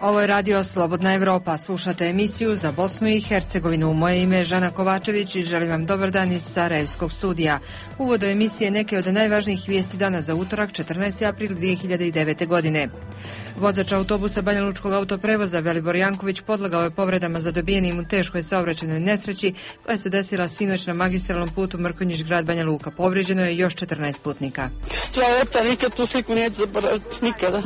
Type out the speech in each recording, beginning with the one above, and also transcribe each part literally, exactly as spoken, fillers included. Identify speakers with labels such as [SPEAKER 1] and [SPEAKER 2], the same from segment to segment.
[SPEAKER 1] Ovo je radio Slobodna Evropa. Slušate emisiju za Bosnu i Hercegovinu. Moje ime je Žana Kovačević i želim vam dobar dan iz Sarajevskog studija. Uvod do emisije neke od najvažnijih vijesti dana za utorak četrnaesti april dvije hiljade devete. godine. Vozač autobusa Banjalučkog autoprevoza Velibor Janković podlegao je povredama zadobijenim u teškoj saobraćajnoj nesreći koja se desila sinoć na magistralnom putu Mrkonjić-Grad Banja Luka. Povrijeđeno je još četrnaest putnika.
[SPEAKER 2] Stvarota, nikad tu sliku neću zaboraviti, nikada.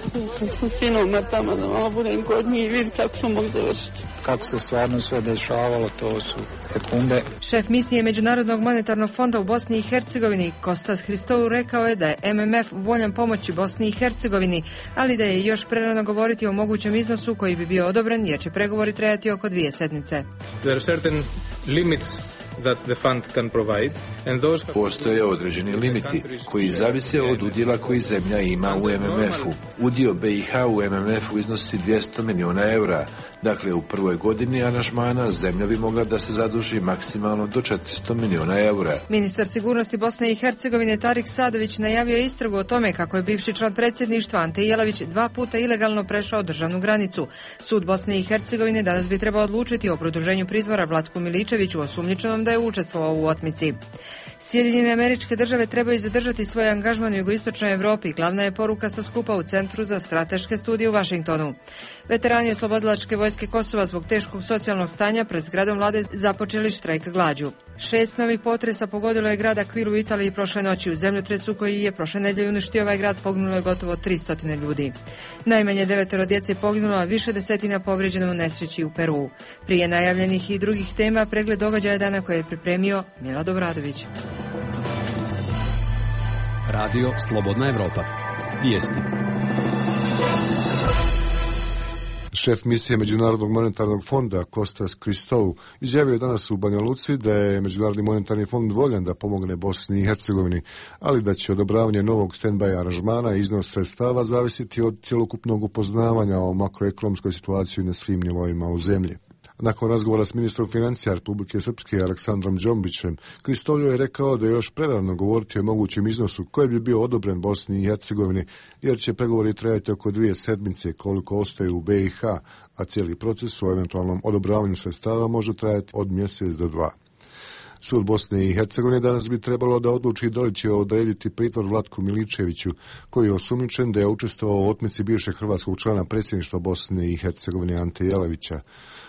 [SPEAKER 2] Sa sinom tamo da malo budem kod njih i vidjeti kako smo mogli završiti.
[SPEAKER 3] Kako se stvarno sve dešavalo, to su sekunde.
[SPEAKER 1] Šef misije Međunarodnog monetarnog fonda u Bosni i Hercegovini Kostas Hristou rekao je da je M M F voljan pomoći Bosni i Hercegovini, ali da je još prerano govoriti o mogućem iznosu koji bi bio odobren jer će pregovori trajati oko dvije sedmice.
[SPEAKER 4] There are certain limits that the fund can provide, and those...
[SPEAKER 5] Postoje određeni limiti koji zavise od udjela koji zemlja ima u M M F-u. Udio B i H u M M F-u iznosi dvjesto milijuna eura. Dakle, u prvoj godini aranžmana zemlja bi mogla da se zaduži maksimalno do četiristo milijuna eura.
[SPEAKER 1] Ministar sigurnosti Bosne i Hercegovine Tarik Sadović najavio istragu o tome kako je bivši član predsjedništva Ante Jelavić dva puta ilegalno prešao državnu granicu. Sud Bosne i Hercegovine danas bi trebao odlučiti o produženju pritvora Vlatku Miličeviću, osumnjičenom da je učestvovao u otmici. Sjedinjene Američke Države trebaju zadržati svoj angažman u jugoistočnoj Europi. Glavna je poruka sa skupa u Centru za strateške studije u Vašingtonu. Veterani oslobodilačke vojske Kosova zbog teškog socijalnog stanja pred zgradom vlade započeli štrajk glađu. Šest novih potresa pogodilo je grad Akvilu u Italiji prošle noći. U zemljotresu koji je prošle nedelje uništio ovaj grad poginulo je gotovo tristo ljudi. Najmanje devetero djece poginulo, a više desetina povrijeđeno u nesreći u Peruu. Prije najavljenih i drugih tema pregled događaja dana koje je pripremio Milad Obradović.
[SPEAKER 6] Radio Slobodna Evropa. Vijesti.
[SPEAKER 7] Šef misije Međunarodnog monetarnog fonda Kostas Hristou izjavio je danas u Banja Luci da je Međunarodni monetarni fond voljan da pomogne Bosni i Hercegovini, ali da će odobravanje novog stand-by aranžmana i iznos sredstava zavisiti od cjelokupnog upoznavanja o makroekonomskoj situaciji na svim nivoima u zemlji. Nakon razgovora s ministrom financija Republike Srpske Aleksandrom Džombićem, Hristou je rekao da je još prerano govoriti o mogućem iznosu koji bi bio odobren Bosni i Hercegovini, jer će pregovori trajati oko dvije sedmice koliko ostaju u B i H, a cijeli proces o eventualnom odobravanju sredstava može trajati od mjesec do dva. Sud Bosne i Hercegovine danas bi trebalo da odluči da li će odrediti pritvor Vlatku Miličeviću, koji je osumnjičen da je učestvovao u otmici bivšeg hrvatskog člana predsjedništva Bosne i Hercegovine Ante Jelavića.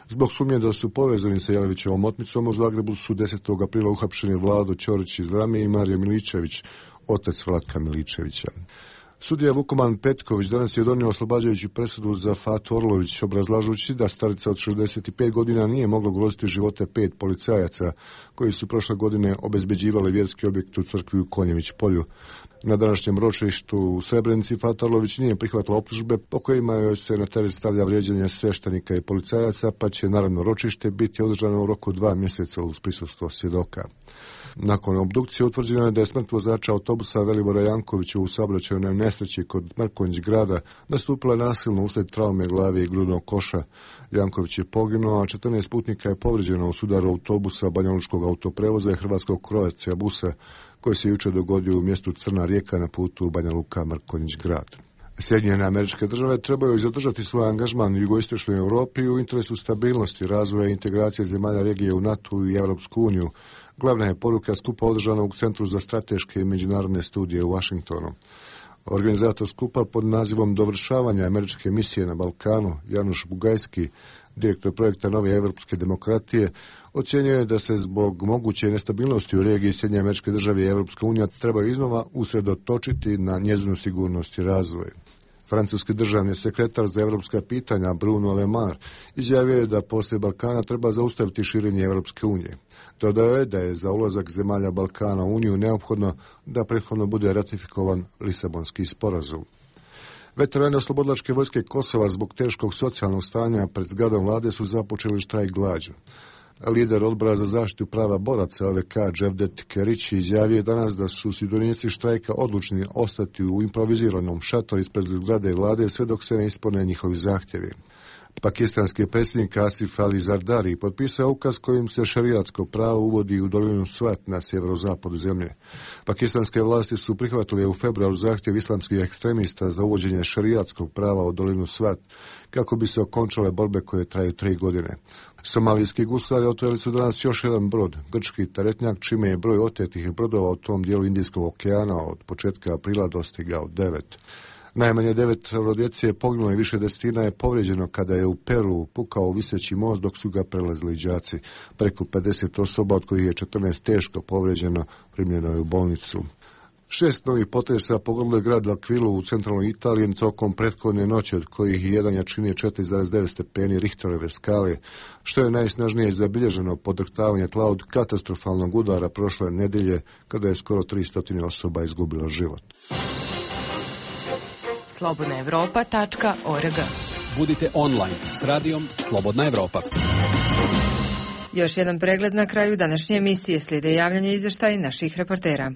[SPEAKER 7] Zbog sumnje da su povezani sa Jelavićevom otmicom, u Zagrebu su desetog aprila uhapšeni Vlado Ćorić iz Rame i Marija Miličević, otac Vlatka Miličevića. Sudija Vukoman Petković danas je donio oslobađajuću presudu za Fatu Orlović, obrazlažući da starica od šezdeset pet godina nije mogla ugroziti živote pet policajaca koji su prošle godine obezbeđivali vjerski objekt u crkvi u Konjević polju. Na današnjem ročištu u Srebrenici Fata Orlović nije prihvatila optužbe po kojima joj se na teret stavlja vrijeđanje sveštenika i policajaca, pa će narodno ročište biti održano u roku dva mjeseca uz prisustvo svjedoka. Nakon obdukcije utvrđeno je da je smrt vozača autobusa Velibora Jankovića u saobraćajnoj nesreći kod Mrkonjić-Grada nastupila nasilno uslijed traume glave i grudnog koša. Janković je poginuo, a četrnaest putnika je povrijeđeno u sudaru autobusa Banjalučkog autoprevoza i hrvatskog Croatia busa, koji se jučer dogodio u mjestu Crna Rijeka na putu Banja Luka-Mrkonjić-Grad. Sjedinjene Američke Države trebaju zadržati svoj angažman u jugoistočnoj Europi u interesu stabilnosti, razvoja i integracije zemalja regije u NATO i Europsku uniju. Glavna je poruka skupa održana u Centru za strateške i međunarodne studije u Vašingtonu. Organizator skupa pod nazivom Dovršavanja američke misije na Balkanu, Januš Bugajski, direktor projekta Nove evropske demokratije, ocjenjuje je da se zbog moguće nestabilnosti u regiji Sjedinjene Američke Države i Europska unija trebaju iznova usredotočiti na njezinu sigurnost i razvoj. Francuski državni sekretar za evropska pitanja Bruno Le Maire izjavio je da poslije Balkana treba zaustaviti širenje Europske unije. Dodao je da je za ulazak zemalja Balkana u Uniju neophodno da prethodno bude ratifikovan Lisabonski sporazum. Veterani oslobodilačke vojske Kosova zbog teškog socijalnog stanja pred zgradom vlade su započeli štrajk glađu. Lider odbora za zaštitu prava boraca O V K Dževdet Kerić izjavio danas da su sudionici štrajka odlučni ostati u improviziranom šatoru ispred zgrade vlade sve dok se ne ispune njihovi zahtjevi. Pakistanski predsjednik Asif Ali Zardari potpisao ukaz kojim se šerijatsko pravo uvodi u dolinu Swat na sjeverozapadu zemlje. Pakistanske vlasti su prihvatile u februaru zahtjev islamskih ekstremista za uvođenje šerijatskog prava u dolinu Swat kako bi se okončale borbe koje traju tri godine. Somalijski gusari otvorili su danas još jedan brod, grčki teretnjak, čime je broj otetih brodova u tom dijelu Indijskog okeana od početka aprila dostigao devet. Najmanje devet djece je poginulo i više desetina je povrijeđeno kada je u Peru pukao viseći most dok su ga prelazili đaci. Preko pedeset osoba, od kojih je četrnaest teško povrijeđeno, primljeno je u bolnicu. Šest novih potresa pogodilo je grad L'Aquilu u centralnoj Italiji tokom prethodne noći, od kojih jedan jačine četiri zarez devet stepeni Richterove skale, što je najsnažnije zabilježeno podrhtavanje tla od katastrofalnog udara prošle nedelje, kada je skoro tristo osoba izgubilo život.
[SPEAKER 8] slobodna evropa tačka org.
[SPEAKER 6] Budite online s radijom Slobodna Evropa.
[SPEAKER 1] Još jedan pregled na kraju današnje emisije, slijede javljanje izvještaja naših reportera.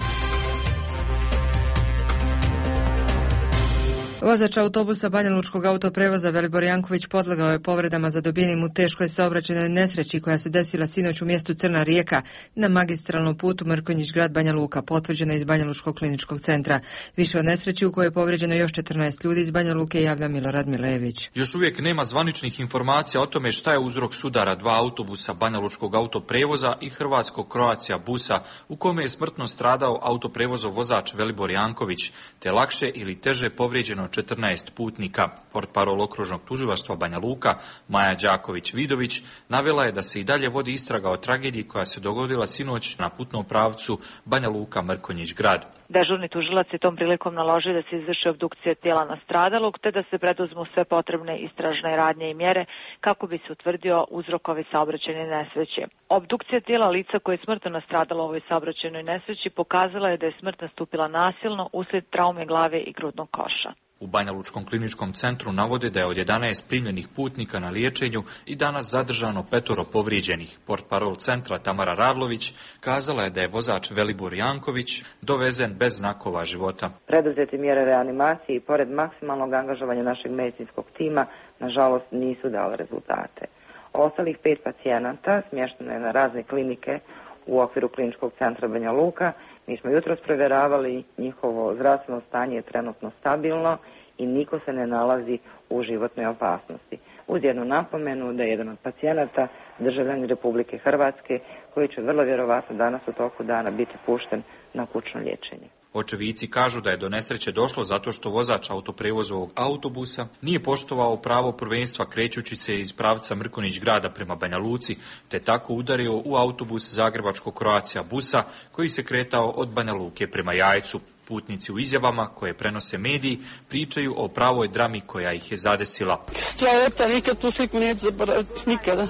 [SPEAKER 1] Vozač autobusa Banjalučkog autoprevoza Velibor Janković podlegao je povredama zadobijenim u teškoj saobraćajnoj nesreći koja se desila sinoć u mjestu Crna Rijeka na magistralnom putu Mrkonjić-grad Banja Luka, potvrđena iz Banjalučkog kliničkog centra. Više o nesreći u kojoj je povrijeđeno još četrnaest ljudi iz Banja Luke javlja Milorad Milejević.
[SPEAKER 9] Još uvijek nema zvaničnih informacija o tome šta je uzrok sudara dva autobusa Banjalučkog autoprevoza i hrvatskog Croatia busa u kome je smrtno stradao autoprevozov vozač Velibor Janković, te lakše ili teže povrijeđeno četrnaest putnika. Portparol okružnog tužilaštva Banja Luka Maja Đaković-Vidović navela je da se i dalje vodi istraga o tragediji koja se dogodila sinoć na putnom pravcu Banja Luka-Mrkonjić-grad.
[SPEAKER 10] Dežurni tužilac je tom prilikom naložio da se izvrši obdukcija tijela nastradalog te da se preduzmu sve potrebne istražne radnje i mjere kako bi se utvrdio uzrok ove saobraćajne nesreće. Obdukcija tijela lica koje je smrtno nastradalo u ovoj saobraćajnoj nesreći pokazala je da je smrt nastupila nasilno uslijed traume glave i grudnog koša.
[SPEAKER 9] U Banjalučkom kliničkom centru navode da je od jedanaest primljenih putnika na liječenju i danas zadržano petoro povrijeđenih. Portparol centra Tamara Radlović kazala je da je vozač Velibor Janković dovezen bez znakova života.
[SPEAKER 11] Preduzete mjere reanimacije i pored maksimalnog angažovanja našeg medicinskog tima, nažalost, nisu dale rezultate. Ostalih pet pacijenata smješteno je na razne klinike u okviru kliničkog centra Banja Luka. Mi smo jutros provjeravali, njihovo zdravstveno stanje je trenutno stabilno i niko se ne nalazi u životnoj opasnosti. Uz jednu napomenu da je jedan od pacijenata državljanin Republike Hrvatske koji će vrlo vjerovatno danas u toku dana biti pušten na kućno liječenje.
[SPEAKER 9] Očevici kažu da je do nesreće došlo zato što vozač autoprevozovog autobusa nije poštovao pravo prvenstva krećući se iz pravca Mrkonjić grada prema Banja Luci, te tako udario u autobus zagrebačkog Croatia busa koji se kretao od Banja Luke prema Jajcu. Putnici u izjavama koje prenose mediji pričaju o pravoj drami koja ih je zadesila.
[SPEAKER 2] Stvarata, nikad tu sliku neću zaboraviti, nikada.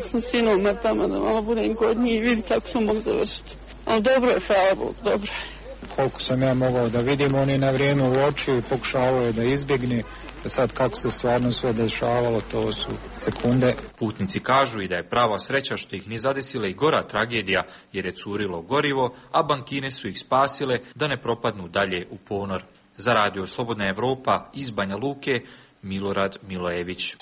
[SPEAKER 2] Sa sinom tamo da malo budem kod njih i vidi kako smo mogli završiti. Ali dobro je, hvala Bog, dobro je.
[SPEAKER 3] Koliko sam ja mogao da vidim, on je na vrijeme uočio i pokušavao je da izbjegne. Sad kako se stvarno sve dešavalo, to su sekunde.
[SPEAKER 9] Putnici kažu i da je prava sreća što ih nije zadesila i gora tragedija jer je curilo gorivo, a bankine su ih spasile da ne propadnu dalje u ponor. Za radio Slobodna Evropa iz Banja Luke, Milorad Milojević.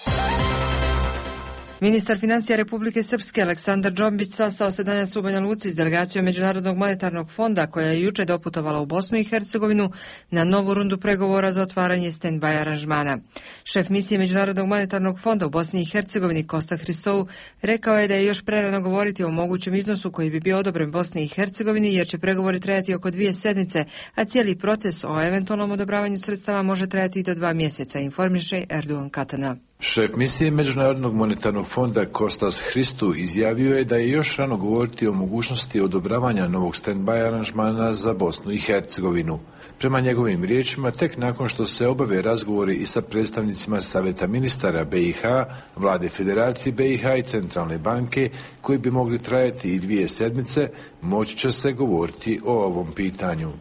[SPEAKER 1] Ministar financija Republike Srpske Aleksandar Džombić sastao se danas u Banja Luci s delegacijom Međunarodnog monetarnog fonda koja je juče doputovala u Bosnu i Hercegovinu na novu rundu pregovora za otvaranje stand-by aranžmana. Šef misije Međunarodnog monetarnog fonda u Bosni i Hercegovini Kosta Hristou rekao je da je još prerano govoriti o mogućem iznosu koji bi bio odobren Bosni i Hercegovini jer će pregovori trajati oko dvije sedmice, a cijeli proces o eventualnom odobravanju sredstava može trajati i do dva mjeseca, informiše Erdogan Katana.
[SPEAKER 5] Šef misije Međunarodnog monetarnog fonda Kostas Hristou izjavio je da je još rano govoriti o mogućnosti odobravanja novog stand-by aranžmana za Bosnu i Hercegovinu. Prema njegovim riječima, tek nakon što se obave razgovori i sa predstavnicima Savjeta ministara B i H, Vlade Federacije B i H i Centralne banke, koji bi mogli trajati i dvije sedmice, moći će se govoriti o ovom pitanju.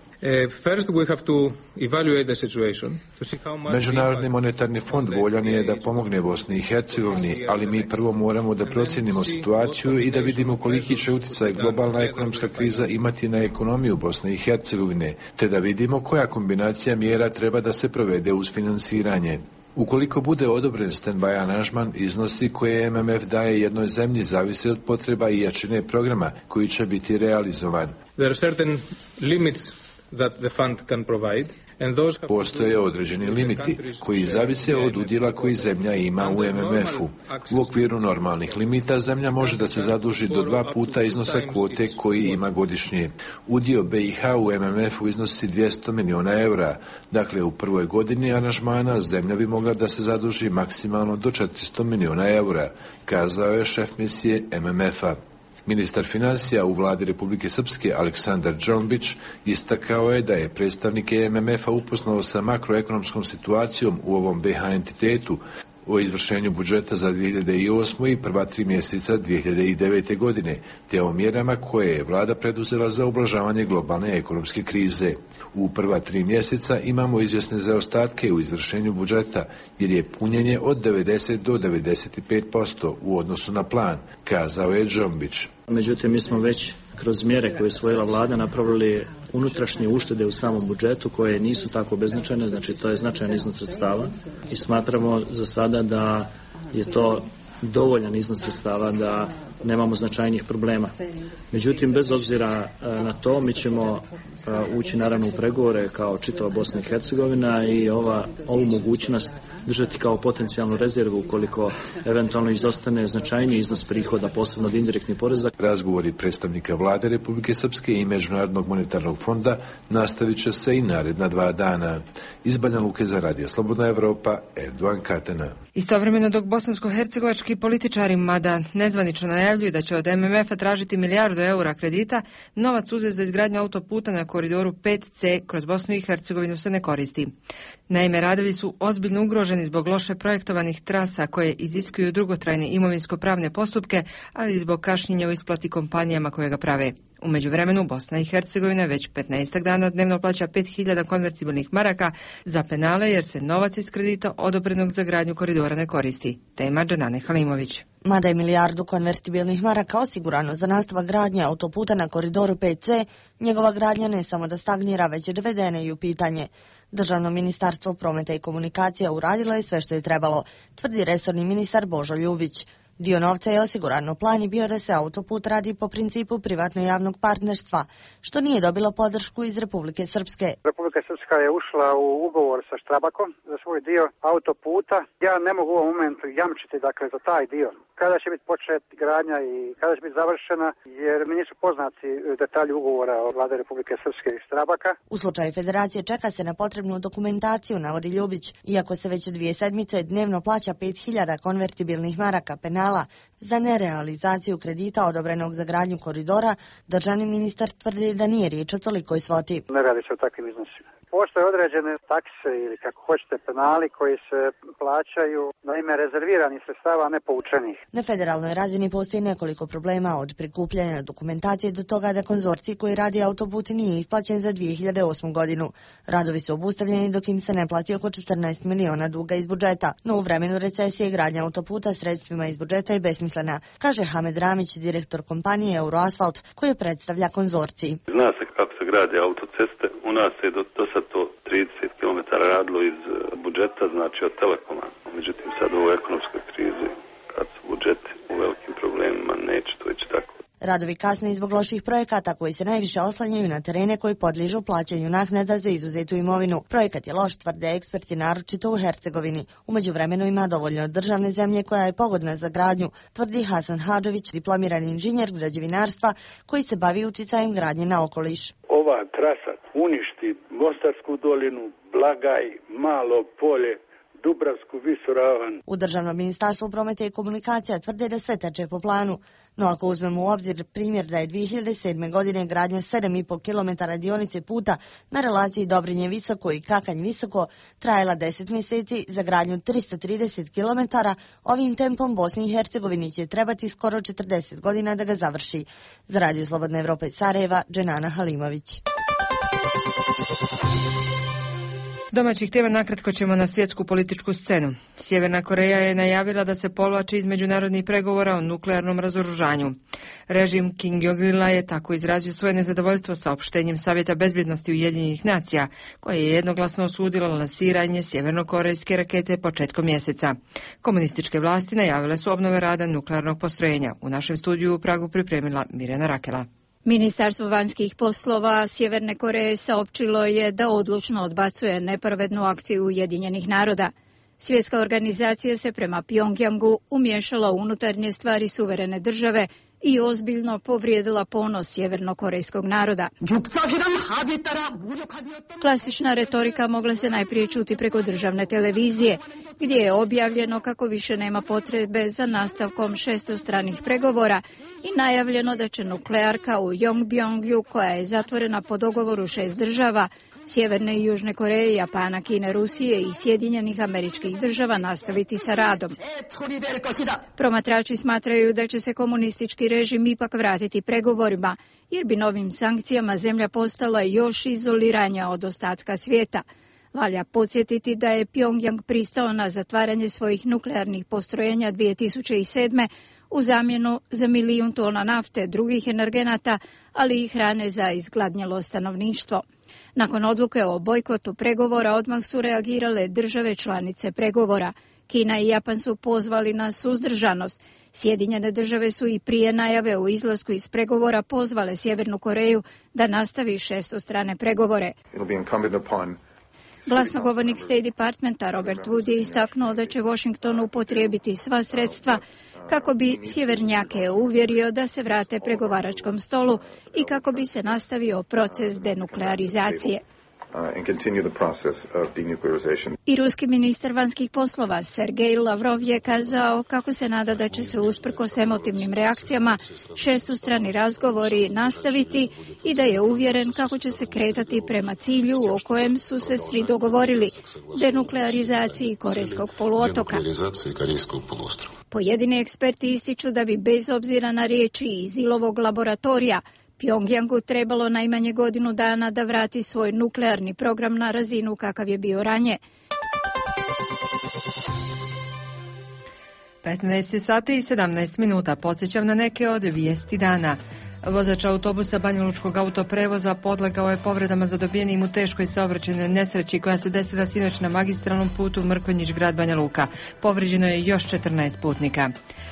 [SPEAKER 5] Međunarodni monetarni fond voljan je da pomogne Bosni i Hercegovini, ali mi prvo moramo da procijenimo situaciju i da vidimo koliki će utjecaj globalna ekonomska kriza imati na ekonomiju Bosne i Hercegovine, te da vidimo koja kombinacija mjera treba da se provede uz finansiranje. Ukoliko bude odobren stand-by aranžman, iznosi koje M M F daje jednoj zemlji zavisi od potreba i jačine programa koji će biti realizovan.
[SPEAKER 4] There are certain limits that the fund can provide.
[SPEAKER 5] Postoje određeni limiti koji zavise od udjela koji zemlja ima u M M F-u. U okviru normalnih limita zemlja može da se zaduži do dva puta iznosa kvote koji ima godišnje. Udio B i H u M M F-u iznosi dvjesto milijuna eura. Dakle, u prvoj godini aranžmana zemlja bi mogla da se zaduži maksimalno do četiristo milijuna eura, kazao je šef misije M M F-a. Ministar financija u vladi Republike Srpske Aleksandar Džombić istakao je da je predstavnike M M F-a upoznao sa makroekonomskom situacijom u ovom B H entitetu o izvršenju budžeta za dvije hiljade osmu i prva tri mjeseca dvije hiljade devete. godine, te o mjerama koje je vlada preduzela za ublažavanje globalne ekonomske krize. U prva tri mjeseca imamo izvjesne zaostatke u izvršenju budžeta, jer je punjenje od devedeset do devedeset pet posto u odnosu na plan, kazao je Džombić.
[SPEAKER 12] Međutim, mi smo već kroz mjere koje je usvojila vlada napravili unutrašnje uštede u samom budžetu koje nisu tako beznačajne, znači to je značajan iznos sredstava i smatramo za sada da je to dovoljan iznos sredstava da nemamo značajnih problema. Međutim, bez obzira na to, mi ćemo ući naravno u pregovore kao čitava Bosna i Hercegovina i ova, ovu mogućnost držati kao potencijalnu rezervu ukoliko eventualno izostane značajniji iznos prihoda, posebno od indirektnih poreza.
[SPEAKER 5] Razgovori predstavnika vlade Republike Srpske i Međunarodnog monetarnog fonda nastavit će se i naredna dva dana. Iz Banja Luke za Radio Slobodna Evropa, Erdogan Katena.
[SPEAKER 1] Istovremeno dok bosansko-hercegovački političari, mada nezvanično najavljuju da će od M M F-a tražiti milijardu eura kredita, novac uzet za izgradnju autoputa na koridoru pet C kroz Bosnu i Hercegovinu se ne koristi. Naime, radovi su ozbiljno ugroženi zbog loše projektovanih trasa koje iziskuju dugotrajne imovinsko-pravne postupke, ali i zbog kašnjenja u isplati kompanijama koje ga prave. U međuvremenu Bosna i Hercegovina već petnaest dana dnevno plaća pet hiljada konvertibilnih maraka za penale jer se novac iz kredita odobrenog za gradnju koridora ne koristi. Tema Dženane Halimović.
[SPEAKER 13] Mada je milijardu konvertibilnih maraka osigurano za nastavak gradnje autoputa na koridoru pet C, njegova gradnja ne samo da stagnira, već je dovedena i u pitanje. Državno ministarstvo prometa i komunikacija uradilo je sve što je trebalo, tvrdi resorni ministar Božo Ljubić. Dio novca je osigurano, plan je bio da se autoput radi po principu privatno-javnog partnerstva, što nije dobilo podršku iz Republike Srpske.
[SPEAKER 14] Republika Srpska je ušla u ugovor sa Štrabakom za svoj dio autoputa. Ja ne mogu u ovom momentu jamčiti dakle za taj dio. Kada će biti počet gradnja i kada će biti završena, jer mi nisu poznati detalji ugovora od vlade Republike Srpske i Štrabaka.
[SPEAKER 13] U slučaju federacije čeka se na potrebnu dokumentaciju, navodi Ljubić. Iako se već dvije sedmice dnevno plaća pet hiljada konvertibilnih maraka penala za nerealizaciju kredita odobrenog za gradnju koridora, državni ministar tvrdi da nije riječ o tolikoj svoti.
[SPEAKER 14] Ne radi se o takvim iznosima. Postoje određene takse ili kako hoćete penali koji se plaćaju na ime rezerviranih sredstava, a ne poučenih.
[SPEAKER 13] Na federalnoj razini postoji nekoliko problema, od prikupljanja dokumentacije do toga da konzorcij koji radi autoput nije isplaćen za dvije hiljade osmu godinu. Radovi su obustavljeni dok im se ne plati oko četrnaest miliona duga iz budžeta, no u vremenu recesije gradnja autoputa sredstvima iz budžeta je besmislena, kaže Hamed Ramić, direktor kompanije Euroasfalt, koji predstavlja konzorcij.
[SPEAKER 15] Zna se kako se grade autoceste, u nas je do, do sad to trideset kilometara radilo iz budžeta, znači od Telekoma. Međutim, sad u ovoj ekonomskoj krizi, kad su budžeti u velikim problemima, neće to ići tako.
[SPEAKER 13] Radovi kasne i zbog loših projekata koji se najviše oslanjaju na terene koji podližu plaćanju naknada za izuzetu imovinu. Projekat je loš, tvrde eksperti, naročito u Hercegovini. U međuvremenu ima dovoljno državne zemlje koja je pogodna za gradnju, tvrdi Hasan Hadžović, diplomirani inženjer građevinarstva koji se bavi uticajem gradnje na okoliš.
[SPEAKER 16] Ova trasa uništi Mostarsku dolinu, Blagaj, Malo polje, Dubravsku visoravan.
[SPEAKER 13] U Državnom ministarstvu prometa i komunikacija tvrde da sve teče po planu. No ako uzmemo u obzir primjer da je dvije hiljade sedme. godine gradnja sedam i po kilometara dionice puta na relaciji Dobrinje Visoko i Kakanj Visoko trajala deset mjeseci, za gradnju tristo trideset kilometara, ovim tempom Bosni i Hercegovini će trebati skoro četrdeset godina da ga završi. Za Radio Slobodna Evropa iz Sarajeva, Dženana Halimović.
[SPEAKER 1] Domaćih tema nakratko ćemo na svjetsku političku scenu. Sjeverna Koreja je najavila da se povlači iz međunarodnih pregovora o nuklearnom razoružanju. Režim Kim Jong-ila je tako izrazio svoje nezadovoljstvo saopštenjem Savjeta bezbjednosti Ujedinjenih nacija, koje je jednoglasno osudilo lansiranje sjevernokorejske rakete početkom mjeseca. Komunističke vlasti najavile su obnove rada nuklearnog postrojenja. U našem studiju u Pragu pripremila Mirjana Rakela.
[SPEAKER 17] Ministarstvo vanjskih poslova Sjeverne Koreje saopćilo je da odlučno odbacuje nepravednu akciju Ujedinjenih naroda. Svjetska organizacija se prema Pjongjangu umiješala u unutarnje stvari suverene države i ozbiljno povrijedila ponos sjevernokorejskog naroda. Klasična retorika mogla se najprije čuti preko državne televizije, gdje je objavljeno kako više nema potrebe za nastavkom šestostranih pregovora i najavljeno da će nuklearka u Yongbyon-gju, koja je zatvorena po dogovoru šest država, Sjeverne i Južne Koreje, Japana, Kine, Rusije i Sjedinjenih Američkih Država, nastaviti sa radom. Promatrači smatraju da će se komunistički režim ipak vratiti pregovorima, jer bi novim sankcijama zemlja postala još izoliranja od ostatka svijeta. Valja podsjetiti da je Pjongjang pristao na zatvaranje svojih nuklearnih postrojenja dvije tisuće sedme u zamjenu za milijun tona nafte, drugih energenata, ali i hrane za izgladnjelo stanovništvo. Nakon odluke o bojkotu pregovora odmah su reagirale države članice pregovora. Kina i Japan su pozvali na suzdržanost. Sjedinjene države su i prije najave o izlasku iz pregovora pozvale Sjevernu Koreju da nastavi šestostrane pregovore. Glasnogovornik State Departmenta Robert Wood je istaknuo da će Washington upotrijebiti sva sredstva kako bi sjevernjake uvjerio da se vrate pregovaračkom stolu i kako bi se nastavio proces denuklearizacije. I ruski ministar vanjskih poslova Sergej Lavrov je kazao kako se nada da će se usprkos emotivnim reakcijama šestostrani razgovori nastaviti i da je uvjeren kako će se kretati prema cilju o kojem su se svi dogovorili, denuklearizaciji Korejskog poluotoka. Pojedini eksperti ističu da bi bez obzira na riječi iz Ilovog laboratorija Pjongjangu trebalo najmanje godinu dana da vrati svoj nuklearni program na razinu kakav je bio ranije.
[SPEAKER 1] petnaest sati i sedamnaest minuta. Podsjećam na neke od vijesti dana. Vozač autobusa banjalučkog autoprevoza podlegao je povredama zadobijenim u teškoj saobraćajnoj nesreći koja se desila sinoć na magistralnom putu Mrkonjić-Grad Banja Luka. Povrijeđeno je još četrnaest putnika.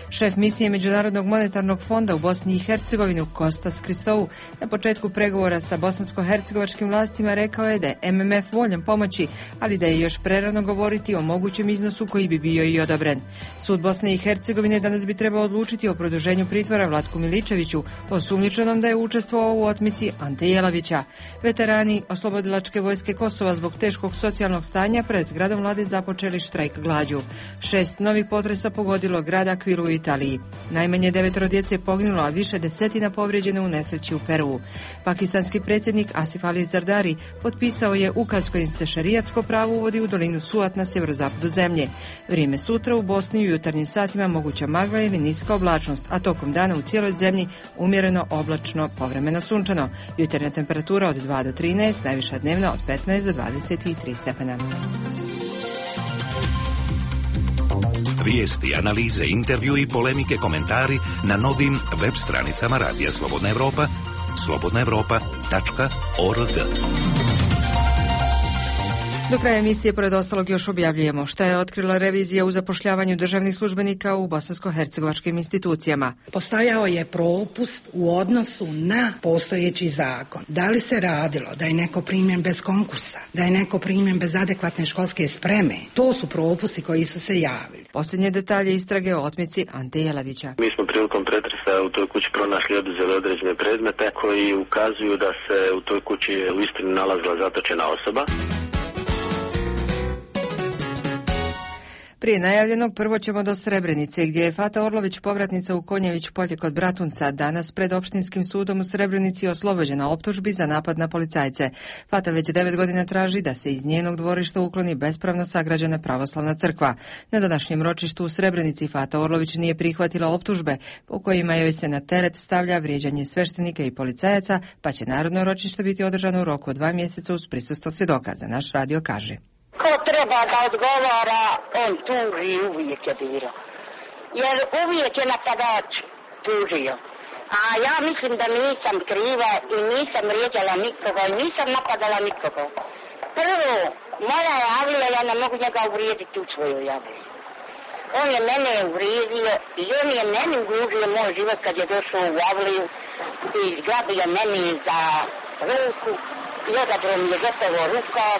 [SPEAKER 1] Šef misije Međunarodnog monetarnog fonda u Bosni i Hercegovini Kostas Kristou na početku pregovora sa bosansko-hercegovačkim vlastima rekao je da je M M F voljan pomoći, ali da je još prerano govoriti o mogućem iznosu koji bi bio i odobren. Sud Bosne i Hercegovine danas bi trebao odlučiti o produženju pritvora Vlatku Miličeviću, osumnjičenom da je učestvovao u otmici Ante Jelavića. Veterani Oslobodilačke vojske Kosova zbog teškog socijalnog stanja pred zgradom vlade započeli štrajk glađu. Šest novih potresa pogodilo grad Akvilu u Italiji. Najmanje devetoro djece je poginulo, a više desetina povrijeđene u nesreći u Peruu. Pakistanski predsjednik Asif Ali Zardari potpisao je ukaz kojim se šerijatsko pravo uvodi u dolinu Suat na sjeverozapadu zemlje. Vrijeme sutra u Bosni u jutarnjim satima moguća magla ili niska oblačnost, a tokom dana u cijeloj zemlji umjereno oblačno, povremeno sunčano. Jutarnja temperatura od dva do trinaest, najviša dnevna od petnaest do dvadeset tri stepena.
[SPEAKER 18] Vijesti, analize, intervju i polemike, komentari na novim web stranicama Radija Slobodna Evropa, slobodna evropa tačka org.
[SPEAKER 1] Do kraja emisije, pored ostalog, još objavljujemo šta je otkrila revizija u zapošljavanju državnih službenika u bosansko-hercegovačkim institucijama.
[SPEAKER 19] Postojao je propust u odnosu na postojeći zakon. Da li se radilo da je neko primjen bez konkursa, da je neko primjen bez adekvatne školske spreme? To su propusti koji su se javili.
[SPEAKER 1] Posljednje detalje istrage o otmici Ante Jelavića.
[SPEAKER 20] Mi smo prilikom pretresa u toj kući pronašli i oduzeli određene predmete koji ukazuju da se u toj kući u istini nalazila zatočena osoba.
[SPEAKER 1] Prije najavljenog prvo ćemo do Srebrenice, gdje je Fata Orlović, povratnica u Konjević polje kod Bratunca, danas pred opštinskim sudom u Srebrenici oslobođena optužbi za napad na policajce. Fata već devet godina traži da se iz njenog dvorišta ukloni bespravno sagrađena pravoslavna crkva. Na današnjem ročištu u Srebrenici Fata Orlović nije prihvatila optužbe po kojima joj se na teret stavlja vrijeđanje sveštenika i policajaca, pa će narodno ročište biti održano u roku od dva mjeseca uz prisustvo svjedoka, za naš radio kaže.
[SPEAKER 21] ko treba da odgovara, on tuži, uvijek je bilo. Jer uvijek je napadač tužio. A ja mislim da nisam kriva i nisam vrijeđala nikoga i nisam napadala nikoga. Prvo, moja je Avlija, ja ne mogu njega uvrijediti u svoju Avliju. On je mene uvrijedio i on je meni ugrožio moj život kad je došao u Avliju i zgrabio meni za ruku i odabro mi je gotovo rukav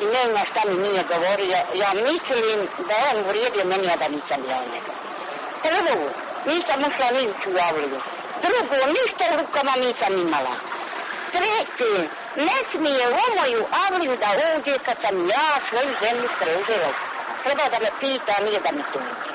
[SPEAKER 21] i nema šta mi nije govorio. Ja mislim da je on uvrijedio meni, a da nisam ja njega. Prvo, nisam ušla ni u Avliju. Drugo, ništa u rukama nisam imala. Treće, ne smije u moju Avliju da uđe kad sam ja svoju zemlju preuzela. Treba da me pita, nije da mi tuži.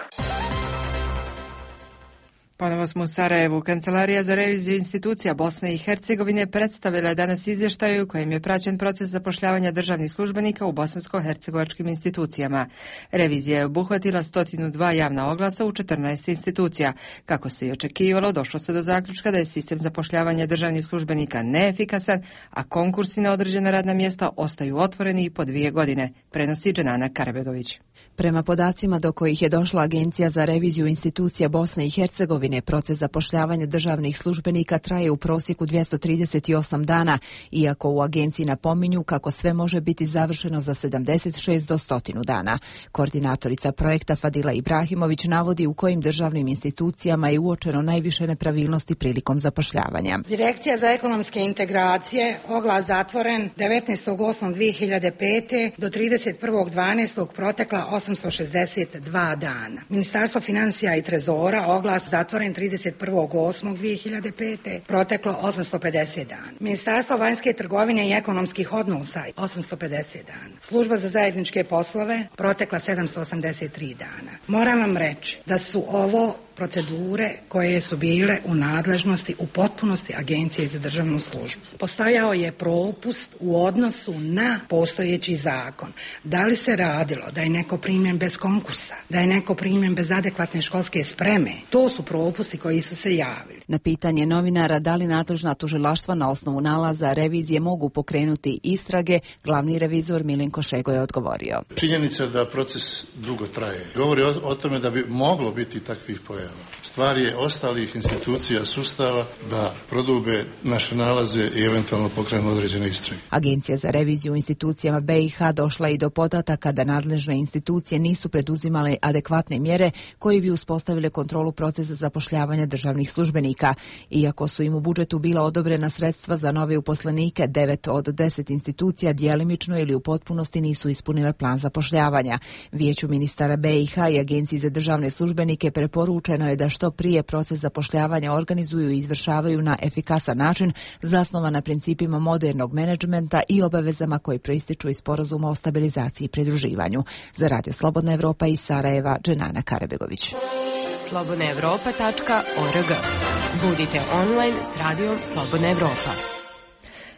[SPEAKER 1] Ponovo smo u Sarajevu. Kancelarija za reviziju institucija Bosne i Hercegovine predstavila je danas izvještaj u kojem je praćen proces zapošljavanja državnih službenika u bosansko-hercegovačkim institucijama. Revizija je obuhvatila sto dva javna oglasa u četrnaest institucija. Kako se i očekivalo, došlo se do zaključka da je sistem zapošljavanja državnih službenika neefikasan, a konkursi na određena radna mjesta ostaju otvoreni i po dvije godine, prenosi Dženana Karabegović.
[SPEAKER 22] Prema podacima do kojih je došla Agencija za reviziju institucija Bosne i Hercegovine, proces zapošljavanja državnih službenika traje u prosjeku dvjesto trideset osam dana, iako u agenciji napominju kako sve može biti završeno za sedamdeset šest do sto dana. Koordinatorica projekta Fadila Ibrahimović navodi u kojim državnim institucijama je uočeno najviše nepravilnosti prilikom zapošljavanja.
[SPEAKER 19] Direkcija za ekonomske integracije, oglas zatvoren devetnaestog osmog dvije hiljade pete do trideset prvog dvanaestog protekla osamsto šezdeset dva dana. Ministarstvo financija i trezora, oglas zatvoren trideset prvog osmog dvije hiljade pete proteklo osamsto pedeset dana. Ministarstvo vanjske trgovine i ekonomskih odnosa osamsto pedeset dana. Služba za zajedničke poslove protekla sedamsto osamdeset tri dana. Moram vam reći da su ovo procedure koje su bile u nadležnosti u potpunosti Agencije za državnu službu. Postojao je propust u odnosu na postojeći zakon. Da li se radilo da je neko primjen bez konkursa, da je neko primjen bez adekvatne školske spreme? To su propusti koji su se javili.
[SPEAKER 22] Na pitanje novinara da li nadležna tužilaštva na osnovu nalaza revizije mogu pokrenuti istrage, glavni revizor Milenko Šego je odgovorio.
[SPEAKER 23] Činjenica da proces dugo traje. Govori o, o tome da bi moglo biti takvih pojava. Stvar je ostalih institucija sustava da prodube naše nalaze i eventualno pokrenu određene istrage.
[SPEAKER 22] Agencija za reviziju u institucijama B i H došla i do podataka da nadležne institucije nisu preduzimale adekvatne mjere koji bi uspostavile kontrolu procesa zapošljavanja državnih službenika. Iako su im u budžetu bila odobrena sredstva za nove uposlenike, devet od deset institucija djelimično ili u potpunosti nisu ispunile plan zapošljavanja. Vijeću ministara B i H i Agenciji za državne službenike preporučeno je da što prije proces zapošljavanja organizuju i izvršavaju na efikasan način, zasnovan na principima modernog menadžmenta i obavezama koji proističu iz sporazuma o stabilizaciji i pridruživanju. Za Radio Slobodna Evropa iz Sarajeva, Dženana Karabegović.
[SPEAKER 8] slobodna evropa tačka org. Budite online s radijom Slobodna Evropa.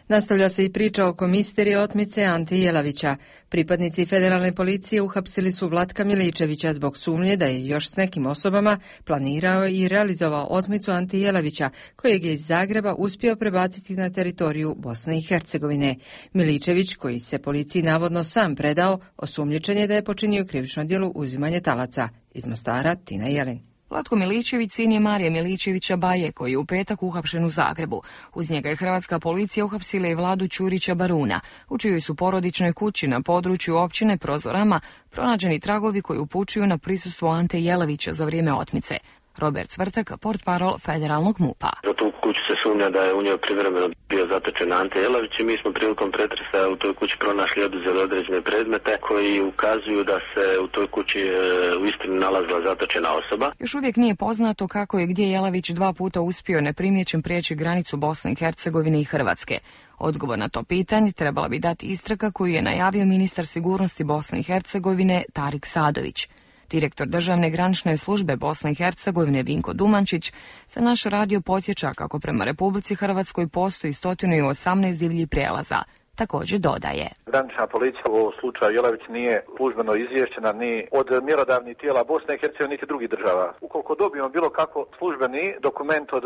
[SPEAKER 1] Nastavlja se i priča oko misterije otmice Ante Jelavića. Pripadnici federalne policije uhapsili su Vlatka Miličevića zbog sumnje da je još s nekim osobama planirao i realizovao otmicu Ante Jelavića, kojeg je iz Zagreba uspio prebaciti na teritoriju Bosne i Hercegovine. Miličević, koji se policiji navodno sam predao, osumnjičen je da je počinio krivično djelo uzimanje talaca. Iz Mostara, Tina Jelin.
[SPEAKER 24] Vlatko Miličević sin je Marije Miličevića Baje, koji je u petak uhapšen u Zagrebu. Uz njega je hrvatska policija uhapsila i Vladu Ćurića Baruna, u čijoj su porodičnoj kući na području općine Prozorama pronađeni tragovi koji upućuju na prisustvo Ante Jelavića za vrijeme otmice. Robert Cvrtak, portparol federalnog MUP-a.
[SPEAKER 20] Za tu kuću se sumnja da je u njoj privremeno bio zatočen Ante Jelavić i mi smo prilikom pretresa u toj kući pronašli i oduzeli određene predmete koji ukazuju da se u toj kući e, u istinu nalazila zatočena osoba.
[SPEAKER 24] Još uvijek nije poznato kako je gdje Jelavić dva puta uspio neprimjećen prijeći granicu Bosne i Hercegovine i Hrvatske. Odgovor na to pitanje trebala bi dati istraga koju je najavio ministar sigurnosti Bosne i Hercegovine Tarik Sadović. Direktor državne granične službe Bosne i Hercegovine Vinko Dumančić se naš radio podsjeća kako prema Republici Hrvatskoj postoji sto osamnaest divljih prijelaza. također dodaje.
[SPEAKER 6] Granična policija u ovom slučaju Jelavić nije službeno izvješćena ni od mjerodavnih tijela Bosne i Hercegovine niti drugih država. Ukoliko dobijemo bilo kako službeni dokument od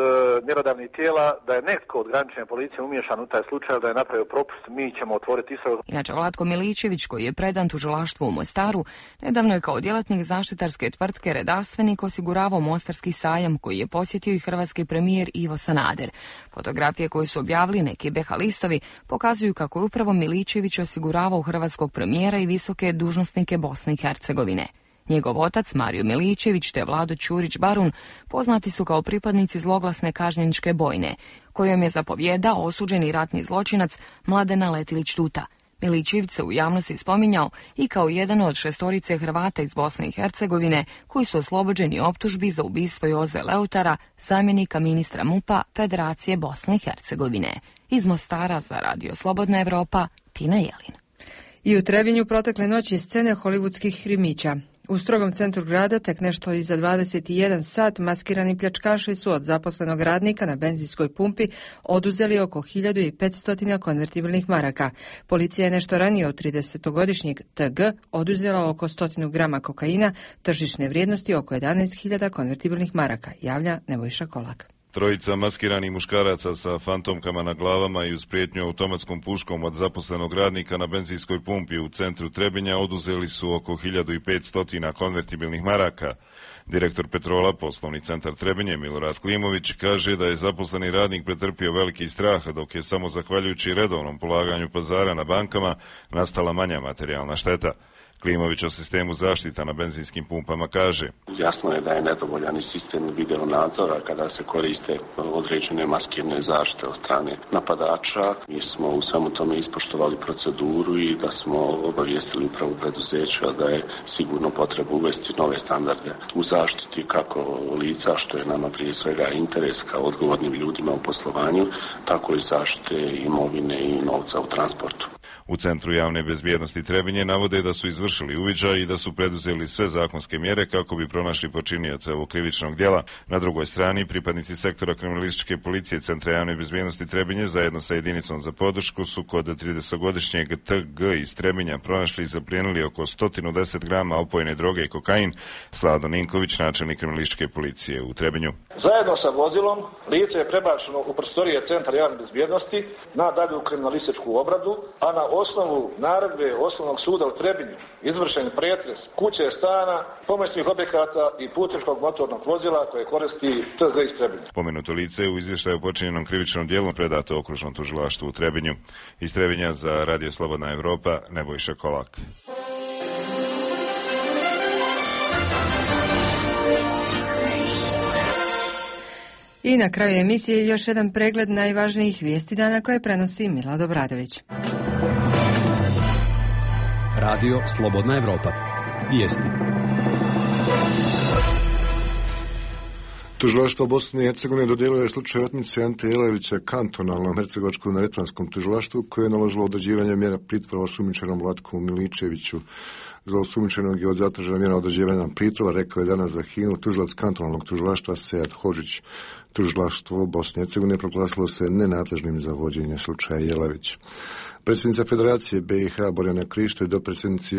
[SPEAKER 6] mjerodavnih tijela da je netko od granične policije umiješan u taj slučaj, da je napravio propust, mi ćemo otvoriti istragu.
[SPEAKER 24] Inače, Vlatko Miličević, koji je predan tužilaštvu u Mostaru, nedavno je kao djelatnik zaštitarske tvrtke Redarstvenik osiguravao Mostarski sajam, koji je posjetio i hrvatski premijer Ivo Sanader. Fotografije koje su objavili neki be ha listovi pokazuju kako je upravo Miličević osiguravao hrvatskog premijera i visoke dužnosnike Bosne i Hercegovine. Njegov otac, Mario Miličević, te Vlado Ćurić-Barun poznati su kao pripadnici zloglasne kažnjeničke bojne, kojom je zapovjedao osuđeni ratni zločinac Mladena Letilić-Tuta. Miličević se u javnosti spominjao i kao jedan od šestorice Hrvata iz Bosne i Hercegovine koji su oslobođeni optužbi za ubistvo Joze Leutara, zamjenika ministra MUP-a Federacije Bosne i Hercegovine. Iz Mostara za Radio Slobodna Evropa, Tina Jelin.
[SPEAKER 1] I u Trebinju protekle noći scene hollywoodskih krimića. U strogom centru grada tek nešto iza dvadeset jedan sat maskirani pljačkaši su od zaposlenog radnika na benzinskoj pumpi oduzeli oko hiljadu petsto konvertibilnih maraka. Policija je nešto ranije od tridesetogodišnjeg te ge oduzela oko stotinu grama kokaina, tržišne vrijednosti oko jedanaest hiljada konvertibilnih maraka, javlja Nebojša Kolak.
[SPEAKER 7] Trojica maskiranih muškaraca sa fantomkama na glavama i uz prijetnju automatskom puškom od zaposlenog radnika na benzinskoj pumpi u centru Trebinja oduzeli su oko hiljadu petsto konvertibilnih maraka. Direktor Petrola, poslovni centar Trebinje, Milorad Klimović, kaže da je zaposleni radnik pretrpio veliki strah, dok je samo zahvaljujući redovnom polaganju pazara na bankama nastala manja materijalna šteta. Klimović o sistemu zaštita na benzinskim pumpama kaže:
[SPEAKER 10] Jasno je da je nedovoljan i sistem video nadzora kada se koriste određene maskirne zaštite od strane napadača. Mi smo u svemu tome ispoštovali proceduru i da smo obavijestili upravu preduzeća da je sigurno potreba uvesti nove standarde u zaštiti kako lica, što je nama prije svega interes kao odgovornim ljudima u poslovanju, tako i zaštite imovine i novca u transportu.
[SPEAKER 7] U Centru javne bezbjednosti Trebinje navode da su izvršili uviđaj i da su preduzeli sve zakonske mjere kako bi pronašli počinioce ovog krivičnog djela. Na drugoj strani, pripadnici sektora kriminalističke policije Centra javne bezbjednosti Trebinje zajedno sa jedinicom za podršku su kod tridesetogodišnjeg te ge iz Trebinja pronašli i zaplijenili oko sto deset grama opojne droge i kokain. Slado Ninković, načelnik kriminalističke policije u Trebinju.
[SPEAKER 11] Zajedno sa vozilom lice je prebačeno u prostorije Centra javne bezbjednosti na dalju kriminalističku obradu, a na osnovu naredbe Osnovnog suda u Trebinju izvršen pretres kuće, stana, pomoćnih objekata i putničkog motornog vozila koje koristi te ge iz Trebinja.
[SPEAKER 7] Pomenuto lice u izvještaju o počinjenom krivičnom djelu predato okružnom tužilaštvu u Trebinju. Iz Trebinja za Radio Slobodna Evropa, Nebojša Kolak.
[SPEAKER 1] I na kraju emisije još jedan pregled najvažnijih vijesti dana koje prenosi Milad Obradović.
[SPEAKER 25] Radio Slobodna Evropa. Vijesti.
[SPEAKER 26] Tužilaštvo Bosne i Hercegovine dodijelilo je slučaj otmice Ante Jelavića kantonalnom hercegovačko-neretvanskom tužilaštvu koje je naložilo određivanje mjera pritvora osumnjičenom Vlatku Miličeviću. Za osumnjičenog je od zatražena mjera određivanja pritvora, rekao je danas za Hinu tužilac kantonalnog tužilaštva Sead Hodžić. Tužilaštvo Bosne i Hercegovine proglasilo se nenadležnim za vođenje slučaja Jelavić. Predsjednica Federacije be i ha Borjana Krišto i dopredsjednici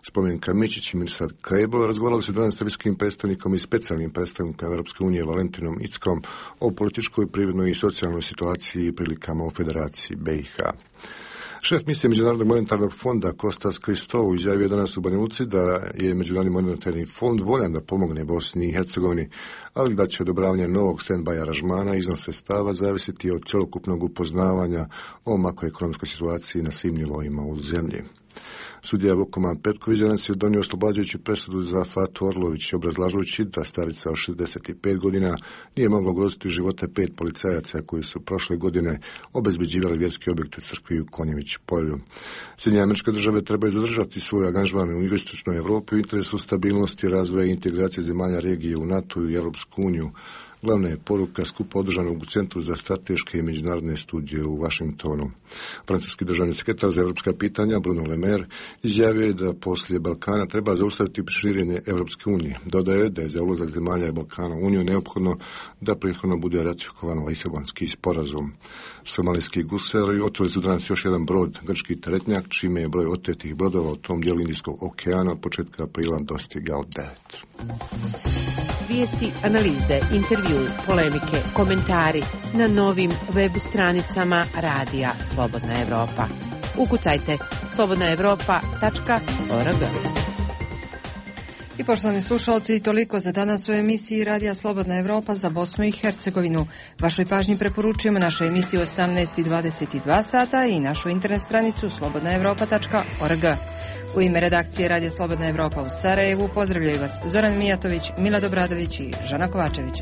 [SPEAKER 26] Spomenka Mičić i Mirsad Kajbo razgovarali su danas sa visokim predstavnikom i specijalnim predstavnikom Europske unije Valentinom Ickom o političkoj, privrednoj i socijalnoj situaciji i prilikama u Federaciji be i ha. Šef misije Međunarodnog monetarnog fonda Kostas Kristou izjavio danas u Banja Luci da je Međunarodni monetarni fond voljan da pomogne Bosni i Hercegovini, ali da će odobravanje novog stand-by aranžmana iznos sredstava zavisiti od cjelokupnog upoznavanja o makroekonomskoj situaciji na svim nivoima u zemlji. Sudija Vukoman Petković danas je donio oslobađajuću presudu za Fatu Orlović, obrazlažući da starica od šezdeset pet godina nije mogla ugroziti živote pet policajaca koji su prošle godine obezbeđivali vjerske objekte crkvi u Konjević polju. Sjedinjene Američke Države trebaju zadržati svoj angažman u jugoistočnoj Evropi u interesu stabilnosti, razvoja i integracije zemalja regije u NATO i Europsku uniju, Glavna je poruka skupa održanog u Centru za strateške i međunarodne studije u Vašingtonu. Francuski državni sekretar za evropska pitanja Bruno Le Maire izjavio je da poslije Balkana treba zaustaviti širenje Evropske unije. Dodaje da je za ulazak zemalja Balkana u Uniju neophodno da prethodno bude ratifikovan Lisabonski sporazum. Somalijski gusari otvorili su danas još jedan brod, grčki teretnjak, čime je broj otetih brodova u tom dijelu Indijskog okeana od početka aprila dostigao devet.
[SPEAKER 2] Vijesti, analize, intervju, polemike, komentari na novim web stranicama Radija Slobodna Evropa. Ukucajte slobodna evropa tačka org.
[SPEAKER 1] I poštovani slušalci, toliko za danas u emisiji Radija Slobodna Evropa za Bosnu i Hercegovinu. Vašoj pažnji preporučujemo našu emisiju osamnaest i dvadeset dva sata i našu internet stranicu slobodna evropa tačka org. U ime redakcije Radija Slobodna Evropa u Sarajevu pozdravljaju vas Zoran Mijatović, Milad Obradović i Žana Kovačević.